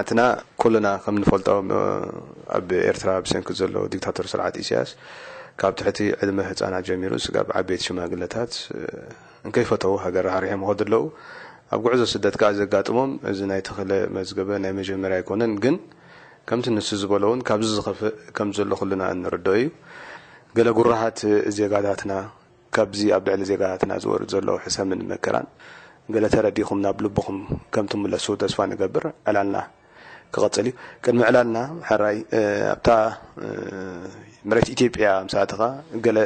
ኣትና ኩልና ከም ንፈልጦ ኣብ ኤርትራ ብሰንኪ ዘሎ ዲክታቶር ስርዓት ኢሳያስ ካብ ትሕቲ ዕድመ ህፃናት ጀሚሩ ስጋብ ዓበይቲ ሽማግለታት እንከይፈተው ሃገር ራሕሪሖም ይኸዱ ኣለዉ። ኣብ ጉዕዞ ስደት ከዓ ዘጋጥሞም እዚ ናይ ተኽለ መዝገበ ናይ መጀመርያ ኣይኮነን። ግን ከምቲ ንሱ ዝበሎ እውን ካብዚ ዝኸፍእ ከም ዘሎ ኩልና እንርድኦ እዩ። ገለ ጉራሃት ዜጋታትና ካብዚ ኣብ ልዕሊ ዜጋታትና ዝወርድ ዘሎ ሕሰምን መከራን ገለ ተረዲኹም ናብ ልብኹም ከም ትምለሱ ተስፋ ንገብር። ዕላልና ክቐጽል እዩ። ቅድሚ ዕላልና ሕራይ ኣብታ መሬት ኢትዮጵያ ምስ ኣተኻ ገለ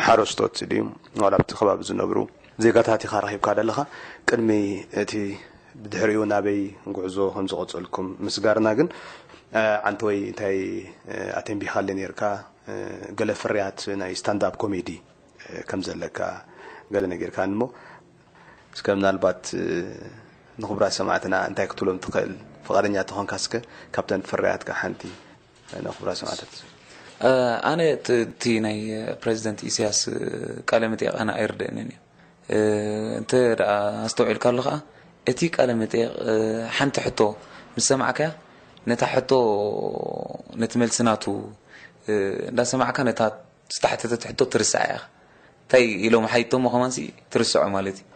ሓረስቶት ድዩ ዋላ ኣብቲ ከባቢ ዝነብሩ ዜጋታት ኢኻ ረኺብካ ዘለኻ። ቅድሚ እቲ ብድሕሪኡ ናበይ ጉዕዞ ከም ዝቐጸልኩም ምስጋርና ግን ዓንተወይ እንታይ ኣተንቢኻለ ነርካ? ገለ ፍርያት ናይ ስታንዳፕ ኮሜዲ ከም ዘለካ ገለ ነጊርካኒ እሞ እስከ ምናልባት ንክቡራት ሰማዕትና እንታይ ክትብሎም ትኽእል? ፍቓደኛ ተኾንካ እስከ ካብተን ፍርያትካ ሓንቲ ንክቡራት ሰማዕታት። ኣነ እቲ ናይ ፕሬዚደንት ኢሳያስ ቃለ መጠይቕ ኣነ ኣይርደእንን እዩ። እንተ ደኣ ኣስተውዒልካሉ ከኣ እቲ ቃለ መጠይቕ ሓንቲ ሕቶ ምስ ሰማዕካያ ነታ ሕቶ ነቲ መልሲ ናቱ እንዳሰማዕካ ነታ ዝተሓተተት ሕቶ ትርስዓ ኢኻ። እንታይ ኢሎም ሓይቶሞ ከማንሲ ትርስዖ ማለት እዩ።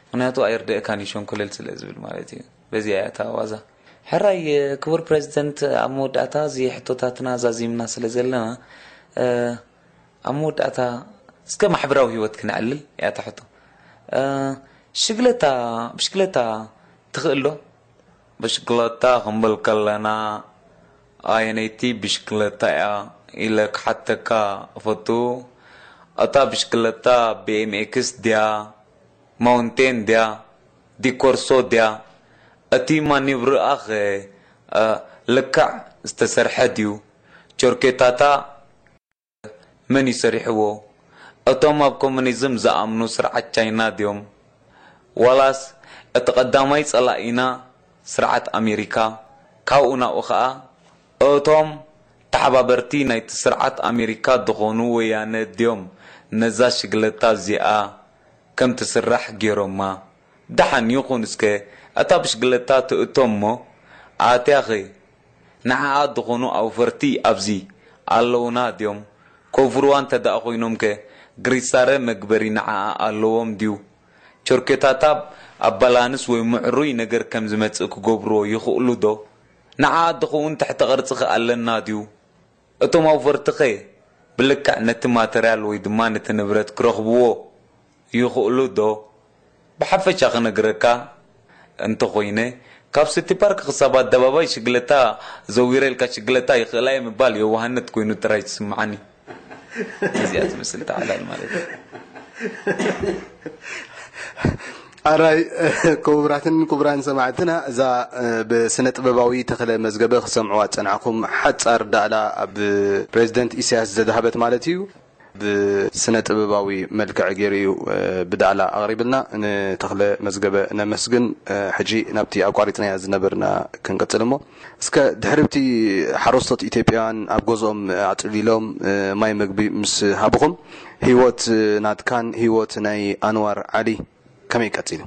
ምክንያቱ ኣይርደእካን እዩ ሸንኮለል ስለ ዝብል ማለት እዩ። በዚኣ እያ እታ ዋዛ። ሕራይ ክቡር ፕሬዚደንት ኣብ መወዳእታ እዚ ሕቶታትና ዛዚምና ስለ ዘለና ኣብ መወዳእታ እስከ ማሕበራዊ ህይወት ክነዕልል እያ እታ ሕቶ። ሽግለታ ብሽግለታ ትኽእል ዶ? ብሽክለታ ክንብል ከለና ኣየነይቲ ብሽክለታ እያ ኢለ ክሓተካ እፈቱ። እታ ብሽክለታ ቢኤምኤክስ ድያ? ማውንቴን ድያ? ዲኮርሶ ድያ? እቲ ማኒቭርኣኸ ልክዕ ዝተሰርሐ ድዩ? ቸርኬታታ መን እዩ ሰሪሕዎ? እቶም ኣብ ኮሙኒዝም ዝኣምኑ ስርዓት ቻይና ድዮም? ዋላስ እቲ ቀዳማይ ጸላኢና ስርዓት ኣሜሪካ? ካብኡ ናብኡ ኸኣ እቶም ተሓባበርቲ ናይቲ ስርዓት ኣሜሪካ ዝኾኑ ወያነ ድዮም ነዛ ሽግለታ እዚኣ ከም ትስራሕ ገይሮማ? ደሓን ይኹን እስከ እታ ብሽግለታ ትእቶ እሞ ኣትያኺ ንዓኣ ዝኾኑ ኣውፈርቲ ኣብዚ ኣለውና ድዮም? ኮፍርዋ እንተ ደኣ ኮይኖምከ ግሪሳረ መግበሪ ንዓኣ ኣለዎም ድዩ? ቸርኬታታ ኣብ ባላንስ ወይ ምዕሩይ ነገር ከም ዝመጽእ ክገብርዎ ይኽእሉ ዶ? ንዓኣ ድኸውን ትሕተ ቅርጺኸ ኣለና ድዩ? እቶም ኣውፈርትኸ ብልክዕ ነቲ ማተርያል ወይ ድማ ነቲ ንብረት ክረኽብዎ ይኽእሉ ዶ? ብሓፈሻ ክነግረካ እንተኾይነ፣ ካብ ሲቲ ፓርክ ክሳብ ኣደባባይ ሽግለታ ዘዊረ ኢልካ ሽግለታ ይኽእላ እየ ምባል የዋህነት ኮይኑ ጥራይ ትስምዓኒ። እዚኣ ትመስል ተዓላል ማለት እዩ። ኣራይ ክቡራትን ክቡራን ሰማዕትና፣ እዛ ብስነ ጥበባዊ ተኽለ መዝገበ ክሰምዕዋ ዝጸናሕኩም ሓጻር ዳእላ ኣብ ፕሬዚደንት ኢሳያስ ዘድሃበት ማለት እዩ። ብስነ ጥበባዊ መልክዕ ገይሩ እዩ ብዳእላ ኣቕሪብልና። ንተኽለ መዝገበ ነመስግን። ሕጂ ናብቲ ኣቋሪጽናያ ዝነበርና ክንቅጽል እሞ፣ እስከ ድሕሪ ብቲ ሓረስቶት ኢትዮጵያውያን ኣብ ገዝኦም ኣጽሊሎም ማይ መግቢ ምስ ሃብኹም፣ ህይወት ናትካን ህይወት ናይ ኣንዋር ዓሊ ከመይ ቀጺሉ?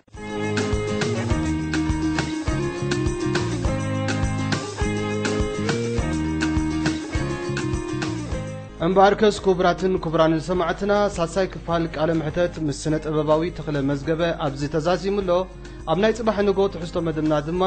እምበኣርከስ ክቡራትን ክቡራንን ሰማዕትና፣ ሳልሳይ ክፋል ቃለ መሕተት ምስ ስነ ጥበባዊ ተኽለ መዝገበ ኣብዚ ተዛዚሙ ኣሎ። ኣብ ናይ ጽባሕ ንግሆ ትሕዝቶ መደብና ድማ